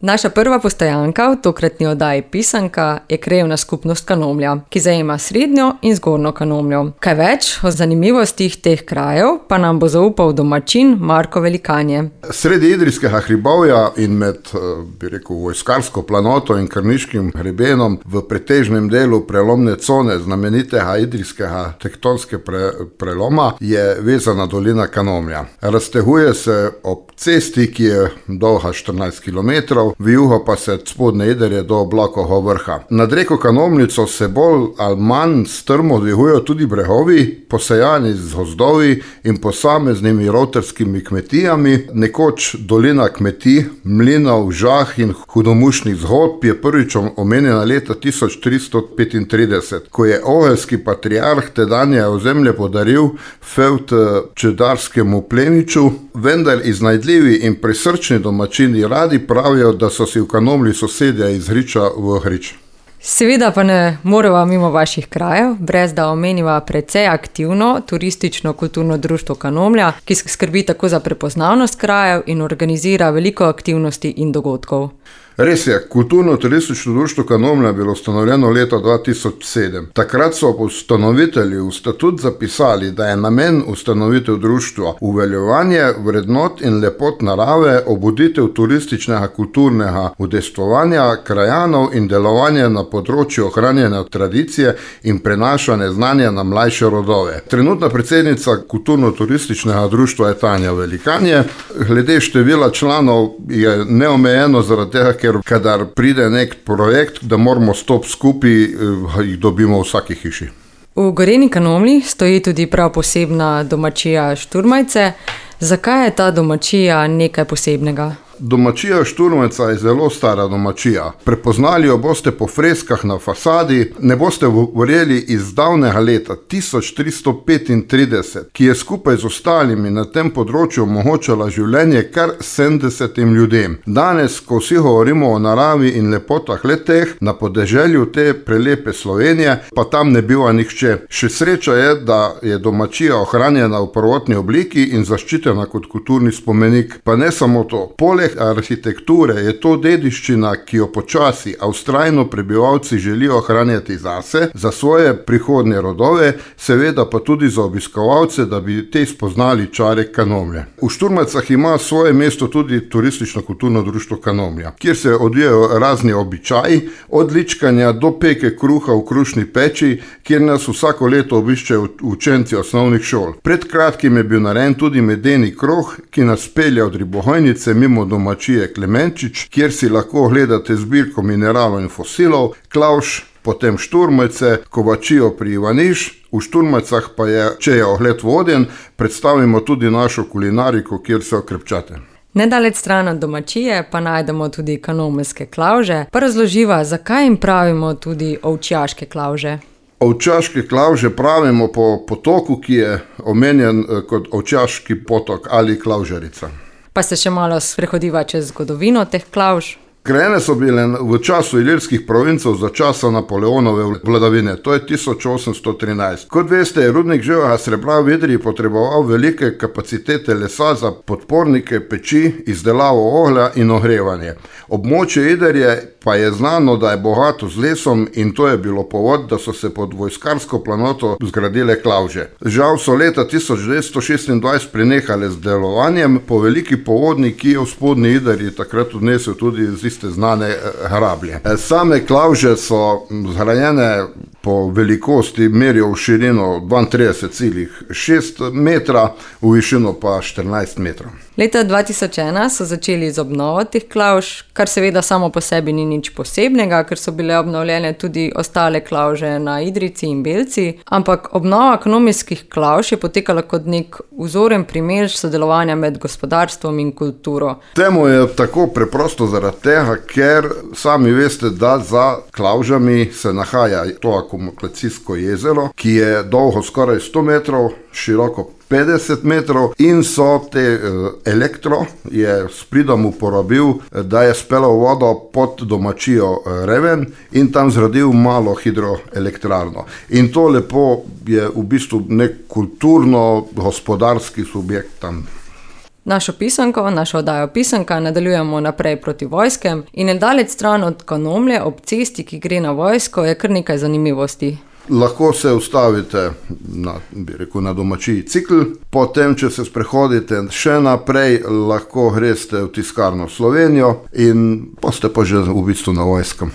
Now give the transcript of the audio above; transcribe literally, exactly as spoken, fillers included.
Naša prva postojanka v tokratni oddaji Pisanka je krajevna skupnost Kanomlja, ki zajema Srednjo in Zgornjo Kanomljo. Kaj več o zanimivostih teh krajev pa nam bo zaupal domačin Marko Velikanje. Sredi Idrijskega hribovja in med, bi rekel, vojskarsko planoto in Krniškim hrebenom v pretežnem delu prelomne cone znamenitega idrijskega tektonske pre, preloma je vezana dolina Kanomlja. Razteguje se ob cesti, ki je dolga štirinajst kilometrov, v juho pa se od Spodnje Idrije do Oblakovega vrha. Nad reko Kanomljico se bolj ali manj strmo dvigujejo tudi bregovi, posejani z gozdovi in posameznimi rotarskimi kmetijami. Nekoč dolina kmetij, mlinov, žah in hudomušnih zgodb je prvič omenjena leta tisoč tristo petintrideset, ko je oheljski patriarh tedanje ozemlje podaril fevd čedarskemu plemiču, vendar iznajdljivi in prisrčni domačini radi pravijo, da so si v Kanomlji sosedje iz Hriča v Hrič. Seveda pa ne moreva mimo vaših krajev, brez da omeniva precej aktivno turistično kulturno društvo Kanomlja, ki skrbi tako za prepoznavnost krajev in organizira veliko aktivnosti in dogodkov. Res je, kulturno-turistično društvo Kanomlja je bilo ustanovljeno leta dva tisoč sedem. Takrat so ustanovitelji v statut zapisali, da je namen ustanovitev društva uveljavljanje vrednot in lepot narave, obuditev turističnega kulturnega udejstvovanja krajanov in delovanje na področju ohranjanja tradicije in prenašanja znanja na mlajše rodove. Trenutna predsednica kulturno-turističnega društva je Tanja Velikanje. Glede števila članov je neomejeno zaradi tega, ker kadar pride nek projekt, da moramo stop skupaj, jih dobimo v vsaki hiši. V Goreni Kanomlji stoji tudi prav posebna domačija Šturmajce. Zakaj je ta domačija nekaj posebnega? Domačija Šturmajca je zelo stara domačija. Prepoznali jo boste po freskah na fasadi, ne boste verjeli iz davnega leta tisoč tristo petintrideset, ki je skupaj z ostalimi na tem področju omogočala življenje kar sedemdesetim ljudem. Danes, ko vsi govorimo o naravi in lepotah le-teh, na podeželju te prelepe Slovenije, pa tam ne biva nihče. Še sreča je, da je domačija ohranjena v prvotni obliki in zaščitena kot kulturni spomenik. Pa ne samo to. Poleg arhitekture je to dediščina, ki jo počasi, a vztrajno prebivalci želijo ohranjati zase, za svoje prihodnje rodove, seveda pa tudi za obiskovalce, da bi te spoznali čare Kanomlje. V Šturmajcah ima svoje mesto tudi turistično-kulturno društvo Kanomlja, kjer se odvijajo razni običaji, od ličkanja do peke kruha v krušni peči, kjer nas vsako leto obiščejo učenci osnovnih šol. Pred kratkim je bil narejen tudi medeni krog, ki nas pelje od Ribohojnice mimo domačije Klemenčič, kjer si lahko gledate zbirko mineralov in fosilov, Klavž, potem Šturmajce, Kovačijo pri Ivaniš. V Šturmajcah pa je, če je ogled voden, predstavimo tudi našo kulinariko, kjer so krepčate. Nedaleč stran od domačije pa najdemo tudi kanomljske klavže. Pa razloživa, zakaj jim pravimo tudi ovčjaške klavže? Ovčjaške klavže pravimo po potoku, ki je omenjen kot Ovčjaški potok ali Klavžarica. Pa se še malo sprehodiva čez zgodovino teh klavž. Grajene so bile v času ilirskih provincev za časa Napoleonove vladavine, to je tisoč osemsto trinajst. Kot veste, je rudnik živega srebra v Idriji potreboval velike kapacitete lesa za podpornike, peči, izdelavo oglja in ogrevanje. Območje Idrije pa je znano, da je bogato z lesom in to je bilo povod, da so se pod vojskarsko planoto zgradile klavže. Žal so leta tisoč devetsto šestindvajset prenehale z delovanjem, po veliki povodni, ki je v Spodnji Idriji takrat odnesel tudi z iste znane hrablje. Same klavže so zgrajene po velikosti, merijo v širino dvaintrideset celih šest metra, v višino pa štirinajst metrov. Leta dva tisoč ena so začeli z obnovo teh klavž, kar seveda samo po sebi ni nič posebnega, ker so bile obnovljene tudi ostale klavže na Idrijci in Belci, ampak obnova kanomljskih klavž je potekala kot nek vzoren primer sodelovanja med gospodarstvom in kulturo. Temu je tako preprosto zaradi tega, ker sami veste, da za klavžami se nahaja to akumulacijsko jezero, ki je dolgo skoraj sto metrov, široko petdeset metrov in so te elektro je s pridom uporabil, da je speljal vodo pod domačijo Reven in tam zgradil malo hidroelektrarno. In to lepo je v bistvu nek kulturno-gospodarski subjekt tam. Našo pisanko, našo oddajo Pisanka nadaljujemo naprej proti vojskem in nedaleč stran od Kanomlje ob cesti, ki gre na vojsko, je kar nekaj zanimivosti. Lahko se ustavite na, bi rekel, na domačiji Cikl, potem, če se sprehodite še naprej, lahko greste v tiskarno Slovenijo in boste pa že v bistvu na vojskem.